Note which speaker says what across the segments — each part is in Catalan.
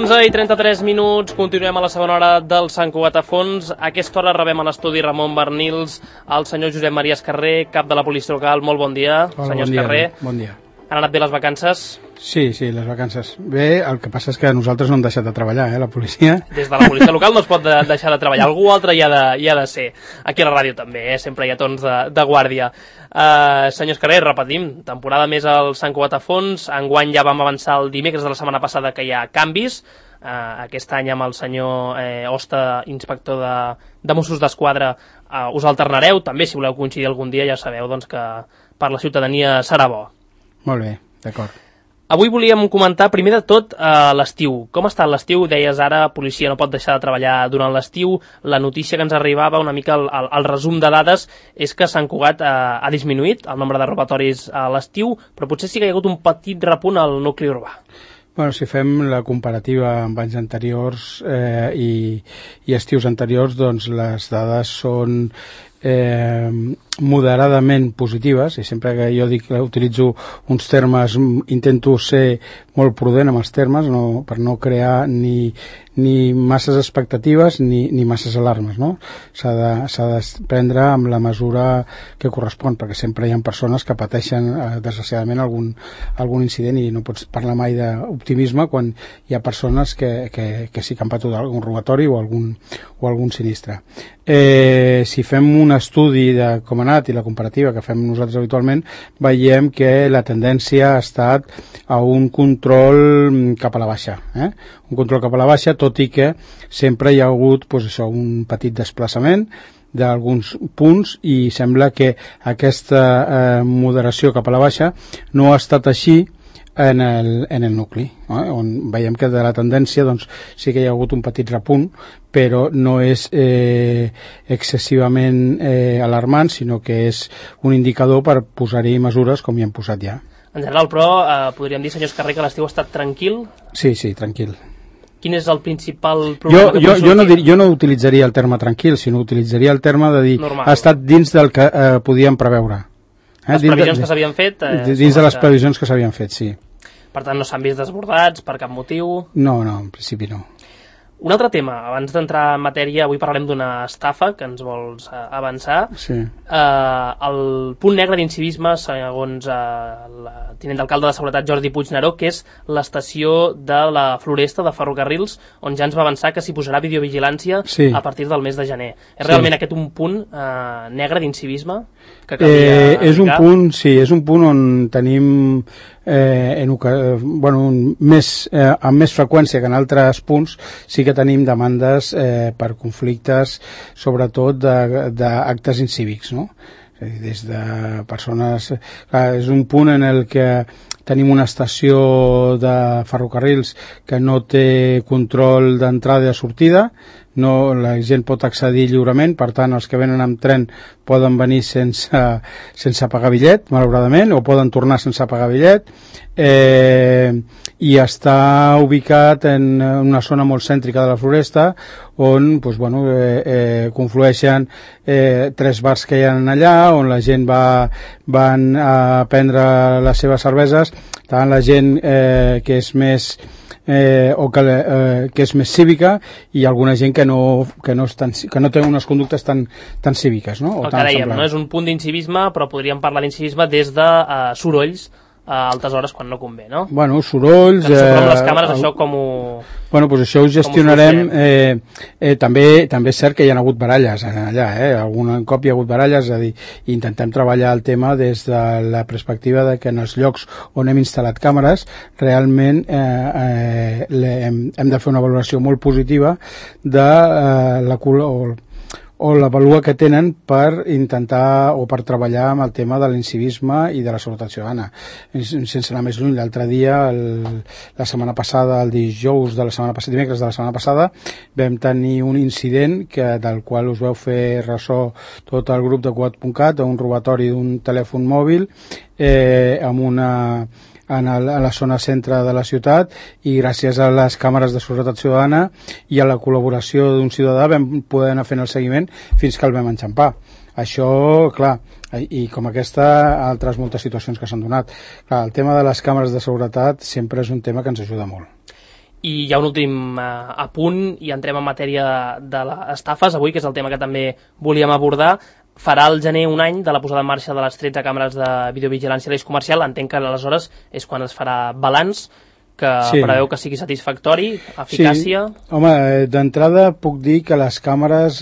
Speaker 1: 11:33, continuem a la segona hora del Sant Cugat a fons. A aquesta hora rebem a l'estudi Ramon Bernils, el senyor Josep Maria Escarrer, cap de la policia local. Molt bon dia,
Speaker 2: hola,
Speaker 1: senyor
Speaker 2: bon dia,
Speaker 1: Escarrer.
Speaker 2: Bon dia.
Speaker 1: Han anat bé les vacances?
Speaker 2: Sí, les vacances. Bé, el que passa és que nosaltres no hem deixat de treballar, la policia.
Speaker 1: Des de la policia local no es pot deixar de treballar. Algú altre hi ha de ser. Aquí a la ràdio també, sempre hi ha tons de guàrdia. Senyor Escarrer, repetim, temporada més al Sant Cugat a fons. Enguany ja vam avançar el dimecres de la setmana passada que hi ha canvis. Aquest any amb el senyor Hosta, inspector de Mossos d'Esquadra, us alternareu. També, si voleu coincidir algun dia, ja sabeu que per la ciutadania serà bo.
Speaker 2: Molt bé, d'acord.
Speaker 1: Avui volíem comentar, primer de tot, l'estiu. Com ha estat l'estiu? Deies ara, policia no pot deixar de treballar durant l'estiu. La notícia que ens arribava, una mica el resum de dades, és que Sant Cugat ha disminuït el nombre de robatoris a l'estiu, però potser sí que hi ha hagut un petit repunt al nucli urbà.
Speaker 2: Bueno, si fem la comparativa amb anys anteriors i estius anteriors, doncs les dades són moderadament positives, i sempre que jo dic que utilitzo uns termes intento ser molt prudent amb els termes, per no crear ni masses expectatives ni masses alarmes, no? S'ha de prendre amb la mesura que correspon, perquè sempre hi ha persones que pateixen desgraciadament algun incident, i no pots parlar mai d'optimisme quan hi ha persones que sí que han patut algun robatori o algun sinistre. Si fem un estudi de com ha anat i la comparativa que fem nosaltres habitualment, veiem que la tendència ha estat a un control cap a la baixa, un control cap a la baixa, tot i que sempre hi ha hagut un petit desplaçament d'alguns punts, i sembla que aquesta moderació cap a la baixa no ha estat així en el nucli, on veiem que de la tendència sí que hi ha hagut un petit repunt, però no és excessivament alarmant, sinó que és un indicador per posar-hi mesures com hi hem posat ja.
Speaker 1: En general, però, podríem dir, senyor Escarrer, que l'estiu ha estat tranquil?
Speaker 2: Sí, tranquil.
Speaker 1: Quin és el principal problema?
Speaker 2: Jo no utilitzaria el terme tranquil, sinó utilitzaria el terme de dir normal. Ha estat dins del que podíem preveure.
Speaker 1: Les previsions que s'havien fet?
Speaker 2: Dins de les previsions que s'havien fet, sí.
Speaker 1: Per tant, no s'han vist desbordats per cap motiu?
Speaker 2: No, en principi no.
Speaker 1: Un altre tema, abans d'entrar en matèria, avui parlarem d'una estafa que ens vols avançar.
Speaker 2: Sí.
Speaker 1: El punt negre d'incivisme, segons el tinent d'alcalde de Seguretat Jordi Puigneró, que és l'estació de la Floresta de Ferrocarrils, on ja ens va avançar que s'hi posarà videovigilància a partir del mes de gener. És realment aquest un punt negre d'incivisme que calia...
Speaker 2: És un punt on tenim amb més freqüència que en altres punts. Sí que tenim demandes per conflictes, sobretot d'actes incívics, no? Des de persones... és un punt en el que tenim una estació de ferrocarrils que no té control d'entrada i de sortida, la gent pot accedir lliurement, per tant els que venen amb tren poden venir sense pagar bitllet, malauradament, o poden tornar sense pagar bitllet, i està ubicat en una zona molt cèntrica de la Floresta, on conflueixen 3 bars que hi ha allà, on la gent van a prendre les seves cerveses, tant la gent que és més que és més cívica, i alguna gent que no té unes conductes tan cíviques, no?
Speaker 1: El que dèiem, no és un punt d'incivisme, però podríem parlar d'incivisme des de sorolls a altes hores quan no convé, no?
Speaker 2: Bueno, sorolls...
Speaker 1: Que amb les càmeres, això com ho...
Speaker 2: això ho gestionarem. També és cert que hi ha hagut baralles allà, algun cop hi ha hagut baralles, és a dir, intentem treballar el tema des de la perspectiva de que en els llocs on hem instal·lat càmeres realment hem de fer una valoració molt positiva de la vàlua que tenen per intentar o per treballar amb el tema de l'incivisme i de la seguretat ciutadana. Sense anar més lluny, l'altre dia, la setmana passada, el dimecres de la setmana passada, vam tenir un incident del qual us vau fer ressò tot el grup de Cugat.cat, un robatori d'un telèfon mòbil a la zona centre de la ciutat, i gràcies a les càmeres de seguretat ciutadana i a la col·laboració d'un ciutadà vam poder anar fent el seguiment fins que el vam enxampar. Això, clar, i com aquesta, altres moltes situacions que s'han donat. Clar, el tema de les càmeres de seguretat sempre és un tema que ens ajuda molt.
Speaker 1: I hi ha un últim apunt i entrem en matèria de les estafes avui, que és el tema que també volíem abordar. Farà el gener un any de la posada en marxa de les 13 càmeres de videovigilància a l'eix comercial. Entenc que aleshores és quan es farà balanç, que preveu que sigui satisfactori, eficàcia...
Speaker 2: Sí. Home, d'entrada puc dir que les càmeres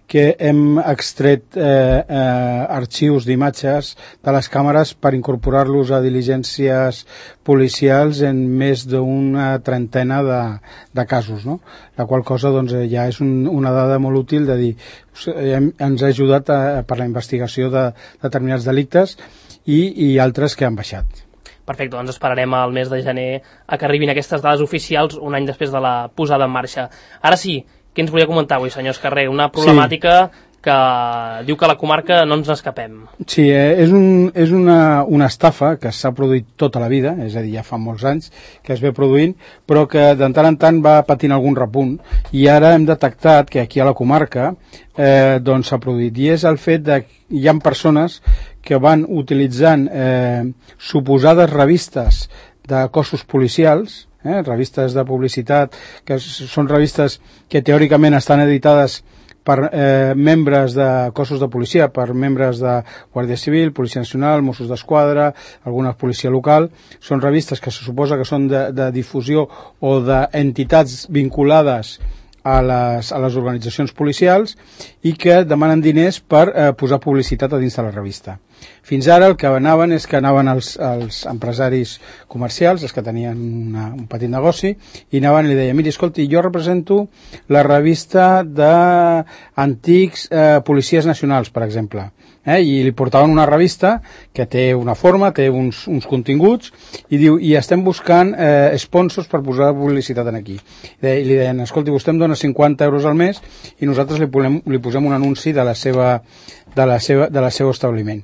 Speaker 2: que hem extret arxius d'imatges de les càmeres per incorporar-los a diligències policials en més d'una trentena de casos, no? La qual cosa doncs, ja és una dada molt útil de dir ens ha ajudat per la investigació de determinats delictes i altres que han baixat.
Speaker 1: Perfecte, doncs esperarem al mes de gener a que arribin aquestes dades oficials un any després de la posada en marxa. Ara sí, què ens volia comentar avui, senyor Escarrer? Una problemàtica que diu que a la comarca no ens n'escapem.
Speaker 2: Sí, és una estafa que s'ha produït tota la vida, és a dir, ja fa molts anys que es ve produint, però que de tant en tant va patint algun repunt, i ara hem detectat que aquí a la comarca doncs s'ha produït, i és el fet que hi ha persones que van utilitzant suposades revistes de cossos policials, revistes de publicitat, que són revistes que teòricament estan editades per membres de cossos de policia, per membres de Guàrdia Civil, Policia Nacional, Mossos d'Esquadra, alguna policia local. Són revistes que se suposa que són de difusió o d'entitats vinculades a les organitzacions policials i que demanen diners per posar publicitat a dins de la revista. Fins ara el que anaven és que anaven els empresaris comercials, els que tenien un petit negoci, i anaven i li deien, miri, escolti, jo represento la revista d'antics policies nacionals, per exemple, i li portaven una revista que té una forma, té uns continguts, i diu, i estem buscant sponsors per posar publicitat aquí. I li deien, escolti, vostè em dona 50 euros al mes i nosaltres li posem un anunci de la seva establiment.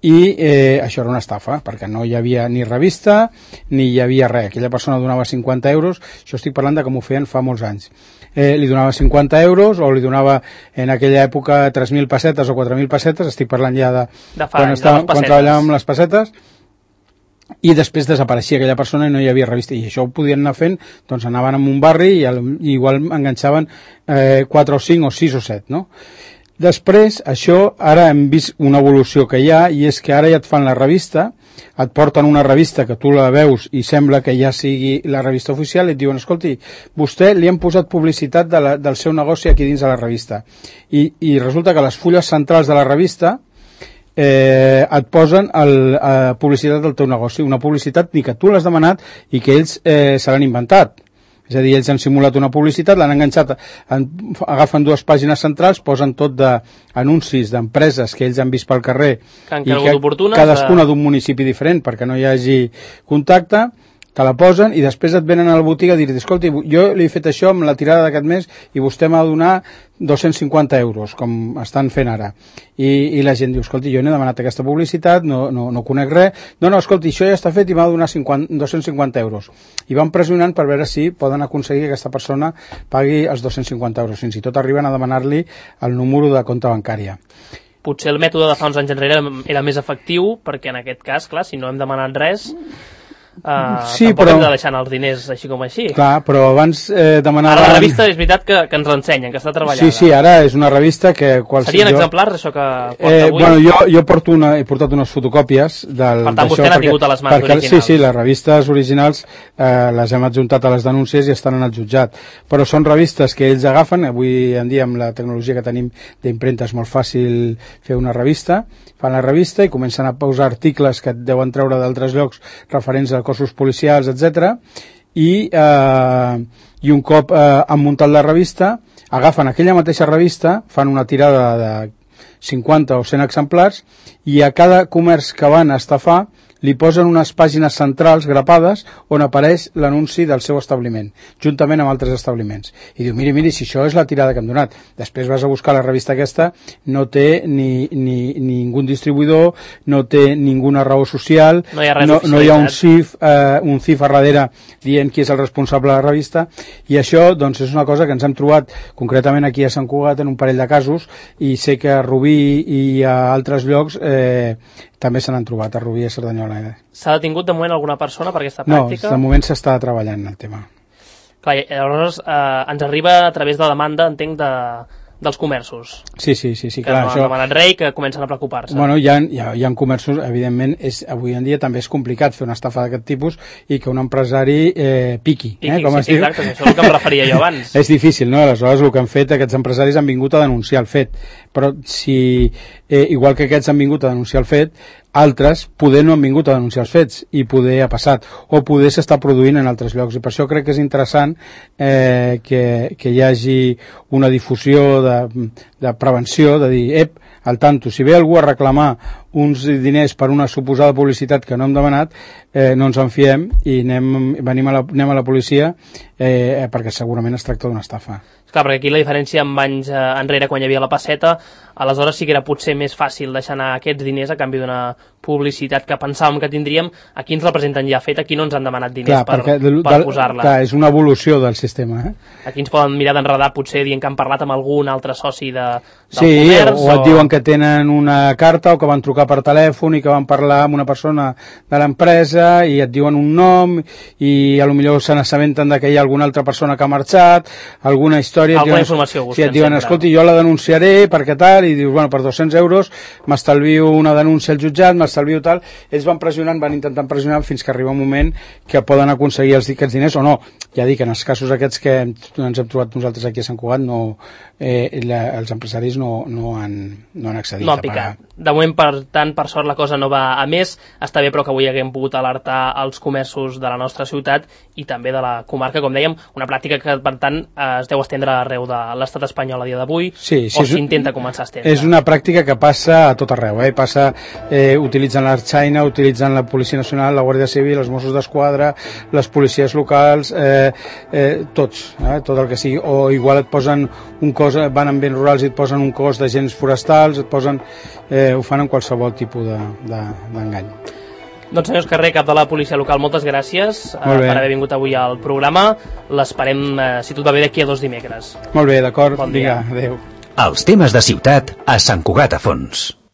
Speaker 2: I això era una estafa, perquè no hi havia ni revista ni hi havia res. Aquella persona donava 50 euros, això estic parlant de com ho feien fa molts anys. Li donava 50 euros o li donava en aquella època 3.000 pessetes o 4.000 pessetes, estic parlant ja de quan treballàvem amb les pessetes, i després desapareixia aquella persona i no hi havia revista, i això ho podien anar fent, doncs anaven en un barri i igual enganxaven 4 o 5 o 6 o 7, no? Després, això, ara hem vist una evolució que hi ha, i és que ara ja et fan la revista, et porten una revista que tu la veus i sembla que ja sigui la revista oficial, i et diuen, escolti, vostè li han posat publicitat del seu negoci aquí dins de la revista. I resulta que les fulles centrals de la revista et posen publicitat del teu negoci, una publicitat ni que tu l'has demanat i que ells se l'han inventat. És a dir, ells han simulat una publicitat, l'han enganxat, agafen 2 pàgines centrals, posen tot d'anuncis d'empreses que ells han vist pel carrer i que cadascuna d'un municipi diferent perquè no hi hagi contacte, te la posen i després et venen a la botiga a dir, escolti, jo li he fet això amb la tirada d'aquest mes i vostè m'ha de donar 250 euros, com estan fent ara. I la gent diu, escolti, jo n'he demanat aquesta publicitat, no conec res, no, escolti, això ja està fet i m'ha de donar 250 euros. I van pressionant per veure si poden aconseguir que aquesta persona pagui els 250 euros. Fins i tot arriben a demanar-li el número de compte bancària.
Speaker 1: Potser el mètode de fa uns anys enrere era més efectiu, perquè en aquest cas, clar, si no hem demanat res...
Speaker 2: sí,
Speaker 1: tampoc hem de deixar els diners així com així.
Speaker 2: Clar, però abans demanaven...
Speaker 1: Ara la revista és veritat que ens l'ensenyen, que està treballada.
Speaker 2: Sí, ara és una revista que...
Speaker 1: Serien exemplars, això que porta avui?
Speaker 2: Bueno, jo he portat unes fotocòpies del...
Speaker 1: Per tant, vostè n'ha tingut a les mans originals.
Speaker 2: Sí, les revistes originals les hem adjuntat a les denúncies i estan en el jutjat. Però són revistes que ells agafen, avui en dia amb la tecnologia que tenim d'impremta és molt fàcil fer una revista, fan la revista i comencen a posar articles que et deuen treure d'altres llocs referents a cossos policials, etc. I un cop han muntat la revista, agafen aquella mateixa revista, fan una tirada de 50 o 100 exemplars i a cada comerç que van a estafar li posen unes pàgines centrals grapades on apareix l'anunci del seu establiment, juntament amb altres establiments. I diu, miri, si això és la tirada que hem donat. Després vas a buscar la revista aquesta, no té ni ningú distribuïdor, no té ninguna raó social,
Speaker 1: no hi ha,
Speaker 2: no hi ha un CIF a darrere dient qui és el responsable de la revista, i això doncs, és una cosa que ens hem trobat concretament aquí a Sant Cugat en un parell de casos, i sé que a Rubí i a altres llocs també se n'han trobat a Rubí i a Cerdanyola.
Speaker 1: S'ha detingut de moment alguna persona per aquesta
Speaker 2: No,
Speaker 1: pràctica?
Speaker 2: de moment s'està treballant el tema.
Speaker 1: Clar, llavors ens arriba a través de demanda, entenc, dels comerços.
Speaker 2: Sí,
Speaker 1: Que
Speaker 2: clar.
Speaker 1: no han demanat res i que comencen a preocupar-se.
Speaker 2: Bueno, hi ha comerços, evidentment, avui en dia també és complicat fer una estafa d'aquest tipus i que un empresari piqui, com es diu.
Speaker 1: Exacte, això és el que em referia jo abans.
Speaker 2: És difícil, no? Aleshores, el que han fet, aquests empresaris han vingut a denunciar el fet, però si, igual que aquests han vingut a denunciar el fet, altres poder no han vingut a denunciar els fets i poder ha passat, o poder s'està produint en altres llocs, i per això crec que és interessant que hi hagi una difusió de prevenció, de dir, al tanto, si ve algú a reclamar uns diners per una suposada publicitat que no hem demanat, no ens en fiem i anem a la policia perquè segurament es tracta d'una estafa.
Speaker 1: Clar, perquè aquí la diferència amb anys enrere, quan hi havia la passeta, aleshores sí que era potser més fàcil deixar anar aquests diners a canvi d'una publicitat que pensàvem que tindríem. Aquí ens la presenten ja feta, aquí no ens han demanat diners per posar-la.
Speaker 2: Clar, és una evolució del sistema.
Speaker 1: Aquí ens poden mirar d'enredar potser dient que han parlat amb algun altre soci del
Speaker 2: comerç. O et diuen que tenen una carta o que van trucar per telèfon i que van parlar amb una persona de l'empresa i et diuen un nom i potser se n'assabenten que hi ha alguna altra persona que ha marxat, alguna història.
Speaker 1: Alguna informació busquen.
Speaker 2: Si et diuen, escolti, jo la denunciaré perquè tal, i dius, bueno, per 200 euros m'estalvio una denúncia al jutjat, m'estalvio tal. Ells van pressionant, van intentant pressionar fins que arriba un moment que poden aconseguir aquests diners o no. Ja dic, en els casos aquests que ens hem trobat nosaltres aquí a Sant Cugat, els empresaris no han accedit
Speaker 1: a pagar. De moment, per tant, per sort la cosa no va a més. Està bé, però que avui haguem pogut alertar els comerços de la nostra ciutat i també de la comarca, com dèiem, una pràctica que, per tant, es deu estendre arreu de l'estat espanyol a dia d'avui, o s'intenta començar a estendre.
Speaker 2: És una pràctica que passa a tot arreu, passa utilitzant l'Artxaina, utilitzant la Policia Nacional, la Guàrdia Civil, els Mossos d'Esquadra, les policies locals, tots, tot el que sigui, o igual et posen un cos, van en béns rurals i et posen un cos d'agents forestals, ho fan en qualsevol tipus d'engany.
Speaker 1: Doncs senyor Escarré, cap de la policia local, moltes gràcies per haver vingut avui al programa. L'esperem, si tot va bé, d'aquí a 2 dimecres.
Speaker 2: Molt bé, d'acord.
Speaker 1: Bon dia.
Speaker 2: Adéu.
Speaker 3: Els temes de ciutat a Sant Cugat a Fons.